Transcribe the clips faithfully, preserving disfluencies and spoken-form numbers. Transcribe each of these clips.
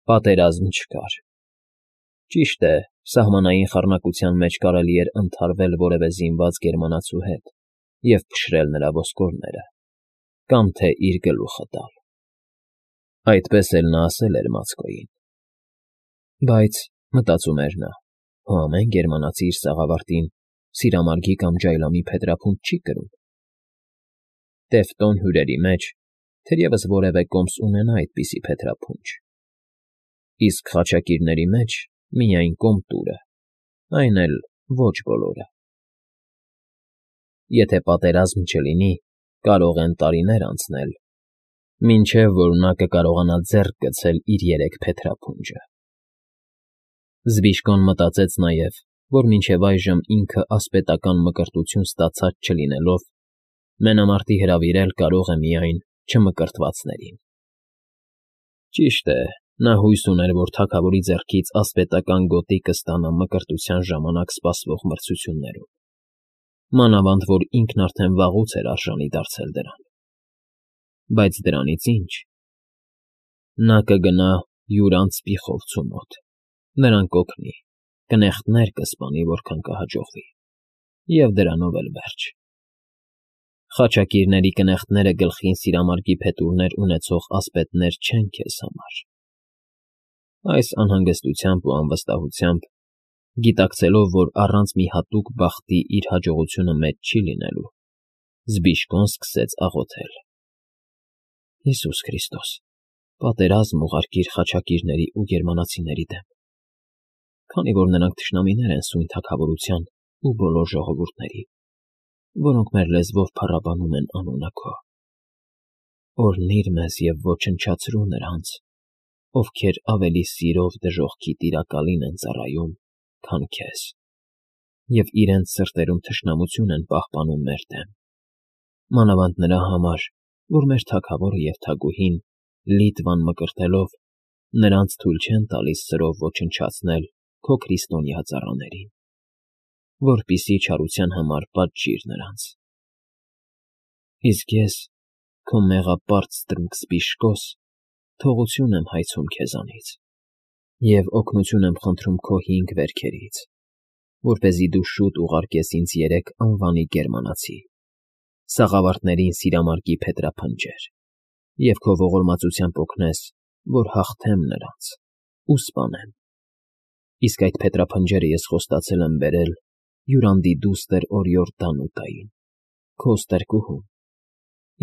Պատերազմ չկար։ Ճիշտ է, սահմանային խառնակության մեջ կարելի էր ընդհարվել որևէ զինված գերմանացու հետ և փշրել նրա ոսկորները կամ թե իր գլուխը տալ. այդպես էլ նա ասել էր Մացկոյին։ Բայց, մտածում էր նա, հո ամեն գերմանացի իր սաղավարտին սիրամարգի կամ ջայլամի փետրափունջ չի կրում։ Տևտոն հյուրերի մեջ թերևս որևէ կոմս ունենա այդպիսի փետրափունջ, իսկ խաչակիրների մեջ միայն Կոմտուրը, այն էլ ոչ բոլորը։ Եթե պատերազմ չլինի, կարող են տարիներ անցնել, մինչև որ նա կկարողանա ձեռք գցել իր երեք փետրափունջը։ Զբիշկոն մտածեց նաև, որ մինչև այժմ ինքը ասպետական մկրտություն ստացած չլինելով, մենամարտի հրավիրել կարող է միայն չմկրտվածներին։ Ճիշտ է, նա հույս ուներ, որ թագավորի ձեռքից ասպետական գոտի կստանա մկրտության ժամանակ սպասվող մրցություններում, մանավանդ որ ինքն արդեն վաղուց էր արժանի դարձել դրան։ Բայց դրանից ի՞նչ։ Նա կգնա յուր անցպիխովցու մոտ, նրան կօգնի, կնեխտներ կսպանի, որքան կհաջողվի, և դրանով էլ վերջ։ Խաչակիրների կնեխտները գլխին սիրամարգի փետուրներ ունեցող ասպետներ չեն քեզ համար։ Այս անհանգստությամբ ու անվստահությամբ, գիտակցելով, որ առանց մի հատուկ բախտի իր հաջողությունը մեծ չի լինելու, Զբիշկոն սկսեց աղոթել. Հիսուս Քրիստոս, պատերազմ ուղարկիր խաչակիրների ու գերմանացիների դեմ, քանի որ նրանք թշնամիներ են սույն թագավորության ու բոլոր ժողովուրդների, որոնք մեր լեզվով փառաբանում են անունը քո։ Օրհնիր մեզ և ոչնչացրու նրանց, ովքեր ավելի սիրով դժոխքի տիրակալին են ծառայում, քան քեզ, և իրենց սրտերում թշնամություն են պահպանում մեր դեմ, մանավանդ նրա համար, որ մեր թագավորը և թագուհին, Լիտվան մկրտելով, նրանց թույլ չեն տալիս սրով ոչնչացնել քո քրիստոնյա ծառաներին, որպեսզի չարության համար պատժիր նրանց։ Իսկ ես, քո մեղապարծ ստրուկ Զբիշկոս, թողություն եմ հայցում քեզանից և օգնություն եմ խնդրում քո հինգ վերքերից, որպեսզի դու շուտ ուղարկես ինձ երեք անվանի գերմանացի, սաղավարտներին սիրամարգի փետրափնջեր, և քո ողորմածությամբ օգնես, որ հաղթեմ նրանց ու սպանեմ։ Իսկ այդ փետրափնջերը ես խոստացել եմ բերել յուրանդի դուստր օրիորդ Դանուտային, քո ստրկուհուն,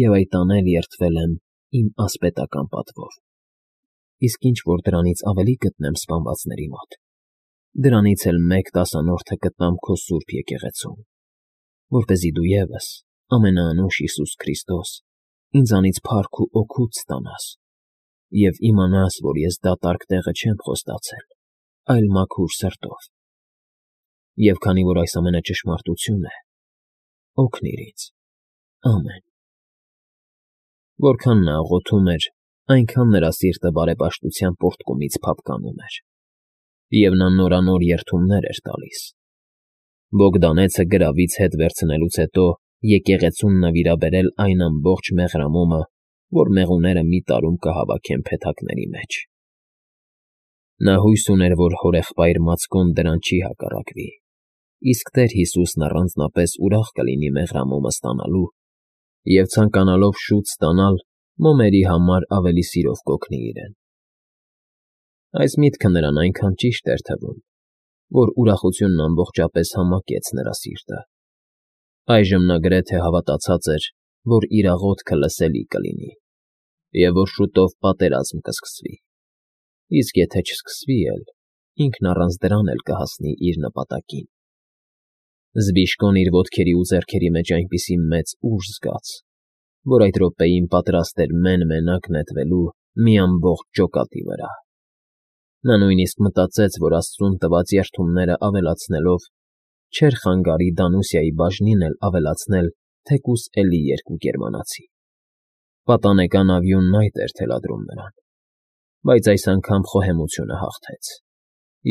և այդ անել երդվել եմ իմ ասպետական պատվով։ Իսկ ինչ որ դրանից ավելի գտնեմ սպանվածների մոտ, դրանից էլ մեկ տասանորդը կտամ քո սուրբ եկեղեցում, որպեսզի դու ևս, ամենաանուշ Հիսուս Քրիստոս, ինձանից փառք ու օգուտ ստանաս և իմանաս, որ ես դատարկ տեղը չեմ խոստացել, այլ մաքուր սրտով։ Եվ քանի որ այս ամենը ճշմարտություն է, օգնիր ինձ։ Ամեն։ Որքան նա աղոթում էր, այնքան նրա սիրտը բարեպաշտության պոռթկումից փափկանում էր, և նա նորանոր երդումներ էր տալիս։ Բոգդանեցը գրավից հետ վերցնելուց հետո եկեղեցուն նվիրաբերել այն ամբողջ մեղրամոմը, որ մեղուները մի տարում կհավաքեն փեթակների մեջ։ Նա հույս ուներ, որ հորեղբայր Մացկոն դրան չի հակառակվի, իսկ Տեր Հիսուսն առանձնապես ուրախ կլինի մեղրամոմը ստանալու և ցանկանալով շուտ ստանալ, մոմերի համար ավելի սիրով կօգնի իրեն։ Այս միտքը նրան այնքան ճիշտ էր թվում, որ ուրախությունն ամբողջապես համակեց նրա սիրտը։ Այժմ նա գրեթե հավատացած էր, որ իր աղոթքը լսելի կլինի, և որ շուտով պատերազմ կսկսվի, իսկ եթե չսկսվի էլ, ինքն առանց դրան էլ կհասնի իր նպատակին։ Զբիշկոն իր ոտքերի ու ձեռքերի մեջ այնպիսի մեծ ուժ զգաց, որ այդ րոպեին պատրաստ էր մեն֊մենակ նետվելու մի ամբողջ ջոկատի վրա։ Նա նույնիսկ մտածեց, որ աստծուն տված երդումները ավելացնելով, չէր խանգարի Դանուսիայի բաժնին էլ ավելացնել թեկուզ էլի երկու գերմանացի։ Պատանեկան ավյունն այդ էր թելադրում նրան, բայց այս անգամ խոհեմությունը հաղթեց,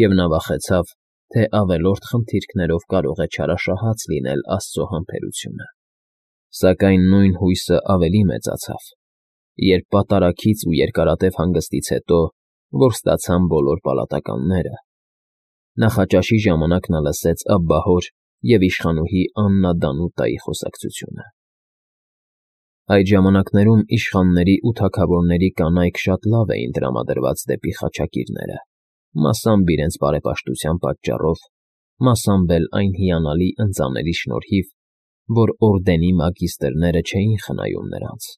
և նա վախեցավ, թե ավելորդ խնդիրքներով կարող է չարաշահած լինել աստծո համբերությունը։ Սակայն նույն հույսը ավելի մեծացավ, երբ պատարագից ու երկարատև հանգստից հետո որ ստացան բոլոր պալատականները, նախաճաշի ժամանակ նա լսեց աբբահոր և իշխանուհի Աննա Դանուտայի խոսակցությունը. Այդ ժամանակներում իշխանների ու թագավորների կանայք շատ լավ էին տրամադրված դեպի խաչակիրները, մասամբ իրենց բարեպաշտության պատճառով, մասամբ էլ այն հիանալի ընծաների շնորհիվ, որ օրդենի մագիստրները չէին խնայում նրանց.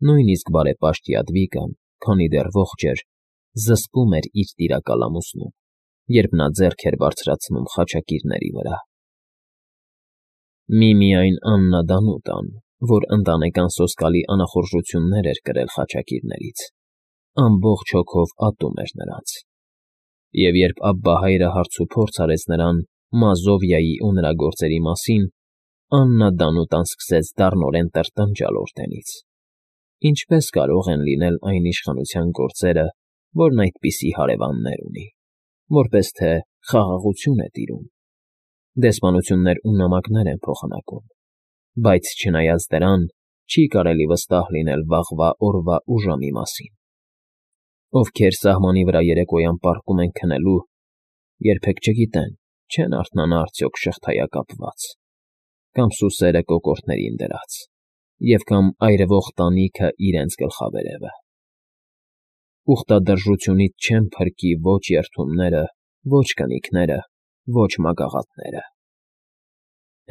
նույնիսկ բարեպաշտ Յադվիգան, քանի դեռ ողջ էր, զսպում էր իր տիրակալ ամուսնուն, երբ նա ձեռք էր բարձրացնում խաչակիրների վրա։ Միմիայն Աննա Դանուտան, որ ընտանեկան սոսկալի անախորժություններ էր կրել խաչակիրներից, ամբողջ հոգով ատում էր նրանց, և երբ աբբահայրը հարցուփորձ արեց նրան Մազովիայի ու նրա գործերի մասին, Աննա Դանուտան սկսեց դառնորեն տրտնջալ օրդենից. ինչպես կարող են լինել այն իշխանության գործերը, որն այդպիսի հարևաններ ունի, որպես թե խաղաղություն է տիրում, դեսպանություններ ու նամակներ են փոխանակում, բայց չնայած դրան, չի կարելի վստահ լինել վաղվա օրվա ու ժամի մասին, ովքեր սահմանի վրա երեկոյան պառկում են քնելու, երբեք չգիտեն, չեն արթնանա արդյոք շղթայակապված, կամ սուսերը կոկորդներին դրած, և կամ այրվող տանիքը իրենց գլխավերևը. ուխտադրժությունից չեն փրկի ոչ երդումները, ոչ կնիկները, ոչ մագաղաթները։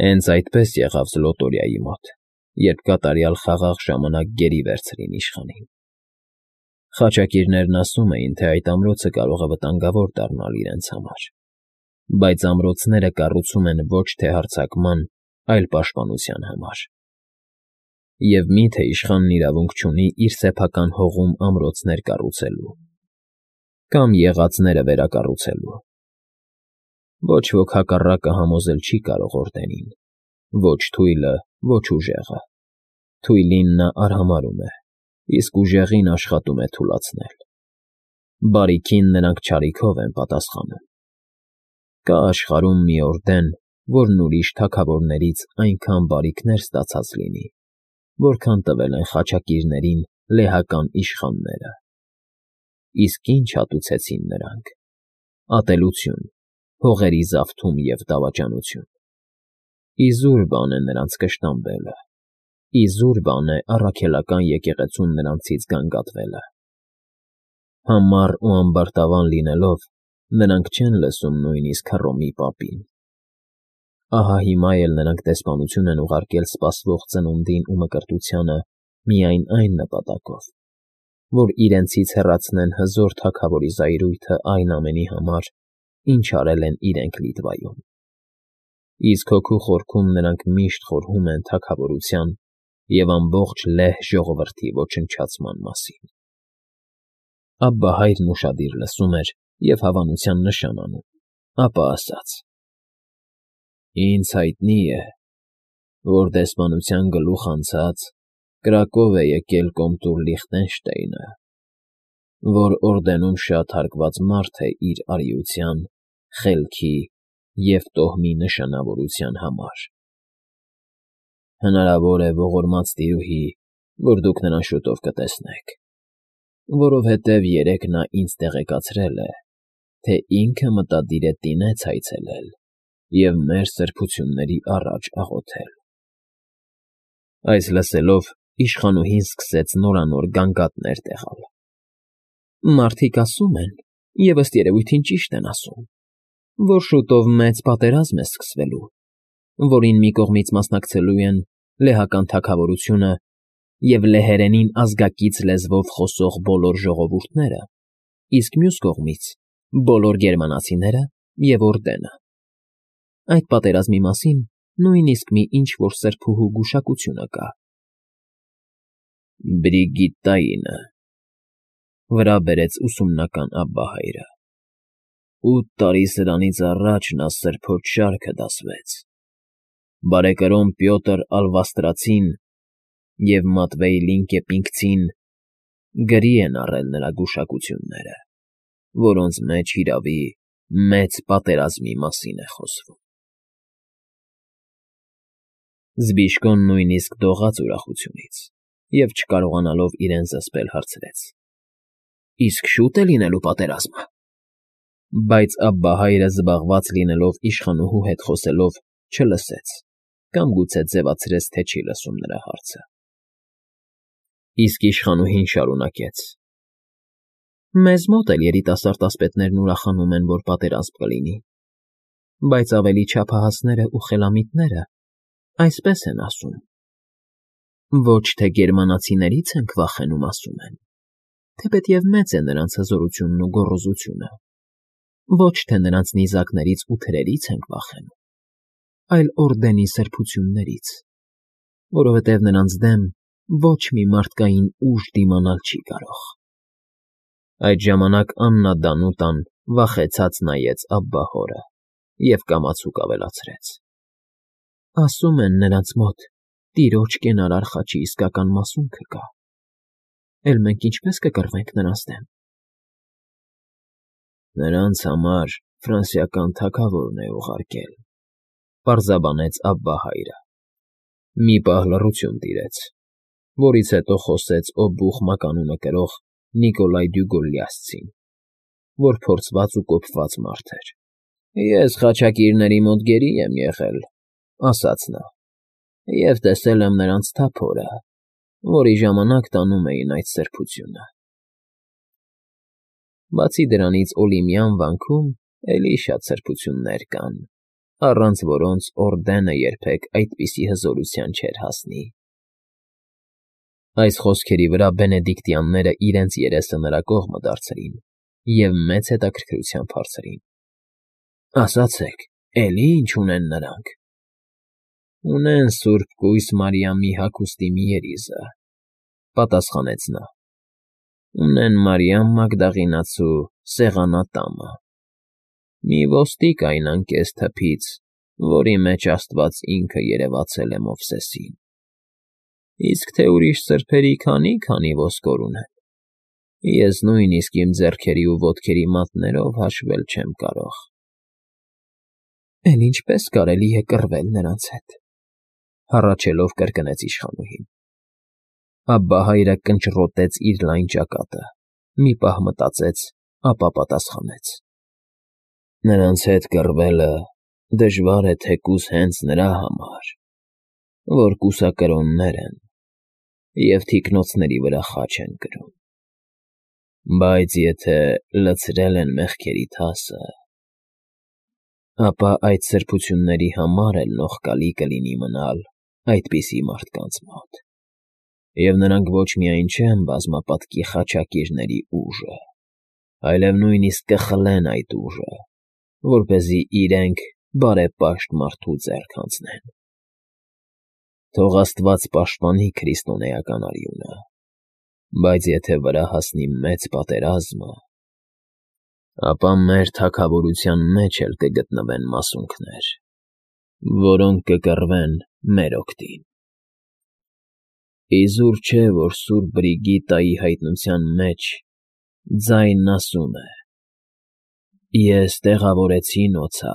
Հենց այդպես եղավ Զլոտորիայի մոտ, երբ կատարյալ խաղաղ ժամանակ գերի վերցրին իշխանին։ Խաչակիրներն ասում էին, թե այդ ամրոցը կարող է վտանգավոր դառնալ իրենց համար, բայց ամրոցները կառուցում են ոչ թե հարձակման, այլ պաշտպանության համար։ Եվ մի՞թե իշխանն իրավունք չունի իր սեփական հողում ամրոցներ կառուցելու կամ եղածները վերակառուցելու։ Ոչ ոք հակառակը համոզել չի կարող օրդենին, ոչ թույլը, ոչ ուժեղը. թույլին նա արհամարհում է, իսկ ուժեղին աշխատում է թուլացնել։ Բարիքին նրանք չարիքով են պատասխանում։ Կա աշխարհում մի օրդեն, որն ուրիշ թագավորներից այնքան բարիքներ ստացած լինի, որքան տվել են խաչակիրներին լեհական իշխանները։ Իսկ ինչ հատուցեցին նրանք. ատելություն, հողերի զավթում և դավաճանություն։ Իզուր բան է նրանց կշտամբելը, իզուր բան է առաքելական եկեղեցուն նրանցից գանգատվելը։ Համառ ու ամբարտավան լինելով, նրանք չեն լսում նույնիսկ Հռոմի պապին։ Ահա հիմա էլ նրանք դեսպանություն են ուղարկել սպասվող ծնունդին ու մկրտությանը միայն այն նպատակով, որ իրենցից հեռացնեն հզոր թագավորի զայրույթը այն ամենի համար, ինչ արել են իրենք Լիտվայում։ Իսկ հոգու խորքում նրանք միշտ խորհում են թագավորության և ամբողջ լեհ ժողովրդի ոչնչացման մասին։ Աբբահայրն ուշադիր լսում էր և հավանության նշան անում, ապա ասաց. Ինձ հայտնի է, որ դեսպանության գլուխ անցած կրակով է եկել կոմտուր Լիխտենշտեյնը, որ օրդենում շատ հարգված մարդ է իր արիության, խելքի և տոհմի նշանավորության համար։ Հնարավոր է ողորմած տիրուհի, որ դուք նրան շուտով կտեսնեք, որովհետև երեկ նա ինձ տեղեկացրել է, թե ինքը մտադիր է Տինեծ այցելել և մեր սրբությունների առաջ աղոթել։ Այս լսելով իշխանուհին սկսեց նորանոր գանգատներ տեղալ. Մարդիկ ասում են, և ըստ երևույթին ճիշտ են ասում, որ շուտով մեծ պատերազմ է սկսվելու, որին մի կողմից մասնակցելու են լեհական թագավորությունը և լեհերենին ազգակից լեզվով խոսող բոլոր ժողովուրդները, իսկ մյուս կողմից՝ բոլոր գերմանացիները և օրդենը։ Այդ պատերազմի մասին նույնիսկ մի ինչ֊որ սրբուհու գուշակությունը կա։ Բրիգիտտայինը,֊ վրա բերեց ուսումնական աբբահայրը,֊ ութ տարի սրանից առաջ նա սրբոց շարքը դասվեց, բարեկրոն Պյոտր Ալվաստրացին և Մատվեյ Լինկեպինգցին գրի են առել նրա գուշակությունները, որոնց մեջ, հիրավի, մեծ պատերազմի մասին է խոսվում։ Զբիշկոն նույնիսկ դողաց ուրախությունից և չկարողանալով իրեն զսպել հարցրեց. Իսկ շուտ է լինելու պատերազմը։ Բայց Աբբահայրը, զբաղված լինելով իշխանուհու հետ խոսելով, չլսեց կամ գուցե ձևացրեց, թե չի լսում նրա հարցը։ Իսկ իշխանուհին շարունակեց. Մեզ մոտ էլ երիտասարդ ասպետներն ուրախանում են, որ պատերազմ կլինի, բայց ավելի չափահասներն ու խելամիտները այսպես են ասում. ոչ թե գերմանացիներից ենք վախենում, ասում են, թեպետև մեծ է նրանց հզորությունն ու գոռոզությունը, ոչ թե նրանց նիզակներից ու թրերից ենք վախենում, այլ օրդենի սրբություններից, որովհետև նրանց դեմ ոչ մի մարդկային ուժ դիմանալ չի կարող։ Այդ ժամանակ Աննա֊Դանուտան վախեցած նայեց Աբբահորը և կամացուկ ավելացրեց. ասում են նրանց մոտ տիրոջ կենարար խաչի իսկական մասունքը կա, էլ մենք ինչպե՞ս կկռվենք նրանց դեմ։ Նրանց համար ֆրանսիական թագավորն է ուղարկել, պարզաբանեց Աբբահայրը։ Մի պահ լռություն տիրեց, որից հետո խոսեց օբուխ մականունը կրող Նիկոլայ Դյուգոլլիասցին, որ փորձված ու կոփված մարդ էր։ Ես խաչակիրների մոտ գերի եմ եղել, ասաց նա, և տեսել եմ նրանց թափորը, որի ժամանակ տանում էին այդ սրբությունը։ Բացի դրանից Օլիմյան վանքում էլի շատ սրբություններ կան, առանց որոնց օրդենը երբեք այդպիսի հզորության չէր հասնի։ Այս խոսքերի վրա բենեդիկտյանները իրենց երեսը նրա կողմը դարձրին և մեծ հետաքրքրությամբ հարցրին. ասացեք, էլի ինչ ունեն նրանք։ Ունեն Սուրբ Կույս Մարիամի հագուստի մի երիզը, պատասխանեց նա։ Ունեն Մարիամ Մագդաղինացու սեղանատամը, մի ոստիկ այն անկես թփից, որի մեջ Աստված ինքը երևացել է Մովսեսին, իսկ թե ուրիշ սրբերի քանի՜֊քանի ոսկոր ունեն, ես նույնիսկ իմ ձեռքերի ու ոտքերի մատներով հաշվել չեմ կարող։ Էլ ինչպե՞ս կարելի է կռվել նրանց հետ, հառաչելով կրկնեց իշխանուհին։ Աբբահայրը կնճռոտեց իր լայն ճակատը, մի պահ մտածեց, ապա պատասխանեց. նրանց հետ կռվելը դժվար է թեկուզ հենց նրա համար, որ կուսակրոններ են և թիկնոցների վրա խաչ են կրում, բայց եթե լցրել են մեղքերի թասը, ապա այդ սրբությունների համար էլ նողկալի կլինի մնալ այդպիսի մարդկանց մոտ, և նրանք ոչ միայն չեն բազմապատկի խաչակիրների ուժը, այլև նույնիսկ կխլեն այդ ուժը, որպեսզի իրենք բարեպաշտ մարդու ձեռք հանձնեն։ Թող Աստված պաշտպանի քրիստոնեական արյունը, բայց եթե վրա հասնի մեծ պատերազմը, ապա մեր թագավորության մեջ էլ կգտնվեն մասունքներ, որոնք կկռվեն մեր օգտին։ Իզուր չէ, որ Սուրբ Բրիգիտայի հայտնության մեջ ձայնն ասում է. «Ես տեղավորեցի նոցա,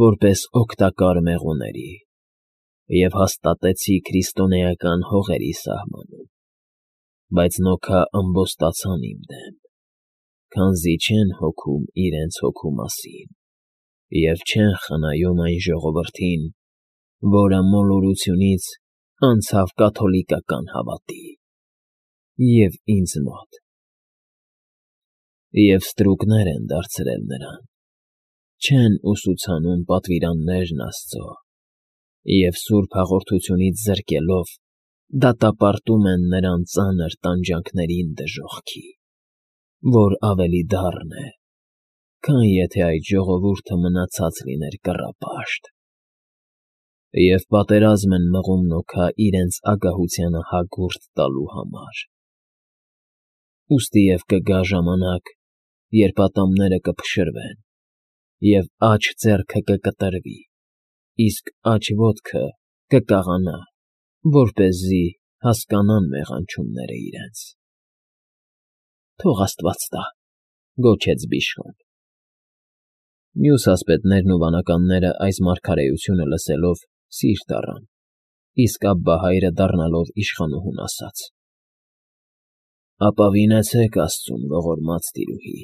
որպես օգտակար մեղուների, և հաստատեցի քրիստոնեական հողերի սահմանում, բայց նոքա ըմբոստացան իմ դեմ, քանզի չեն հոգում իրենց հոգու մասին և չեն խնայում այն ժողովրդին, որը մոլորությունից անցավ կաթոլիկական հավատի, և ինձ մոտ, և ստրուկներ են դարձրել նրան, չեն ուսուցանում պատվիրաններն Աստծո և սուրբ հաղորդությունից զրկելով դատապարտում են նրան ծանր տանջանքներին դժոխքի, որ ավելի դառն է, քան եթե այդ ժողովուրդը մնացած լիներ կռապաշտ, և պատերազմ են մղում նոքա իրենց ագահությանը հագուրդ տալու համար։ Ուստի և կգա ժամանակ, երբ ատամները կփշրվեն, և աջ ձեռքը կկտրվի, իսկ աջ ոտքը կկաղանա, որպեսզի հասկանան մեղանչումները իրենց։ Թող Աստված տա, գոչեց բիշխոն։ Մյուս ասպետներն ու վանականները այս մարգարեությունը լսելով սիրտ առան, իսկ Աբբահայրը դառնալով իշխանուհուն ասաց. Ապավինեցեք աստծուն, ողորմած տիրուհի,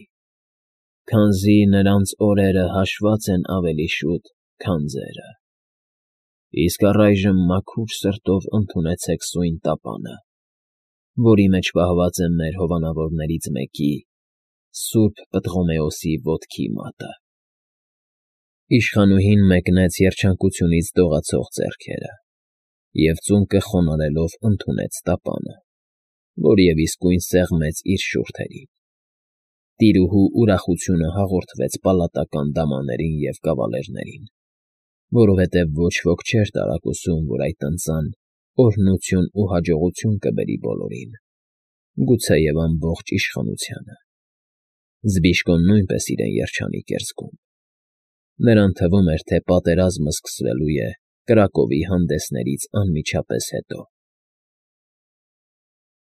քանզի նրանց օրերը հաշված են ավելի շուտ, քան ձերը, իսկ առայժմ մաքուր սրտով ընդունեցեք սույն տապանը, որի մեջ պահված է մեր հովանավորներից մեկի՝ Սուրբ Պտղոմեոսի ոտքի մատը։ Իշխանուհին մեկնեց երջանկությունից դողացող ձեռքերը և ծունկը խոնարհելով ընդունեց տապանը, որ և իսկույն սեղմեց իր շուրթերին։ Տիրուհու ուրախությունը հաղորդվեց պալատական դամաներին և կավալերներին, որովհետև ոչ ոք չէր տարակուսում, որ այդ ընծան օրհնություն ու հաջողություն կբերի բոլորին, գուցեև ամբողջ իշխանությանը։ Զբիշկոն նույնպես իրեն երջանիկ էր զգում։ Նրան թվում էր, թե պատերազմը սկսվելու է Կրակովի հանդեսներից անմիջապես հետո։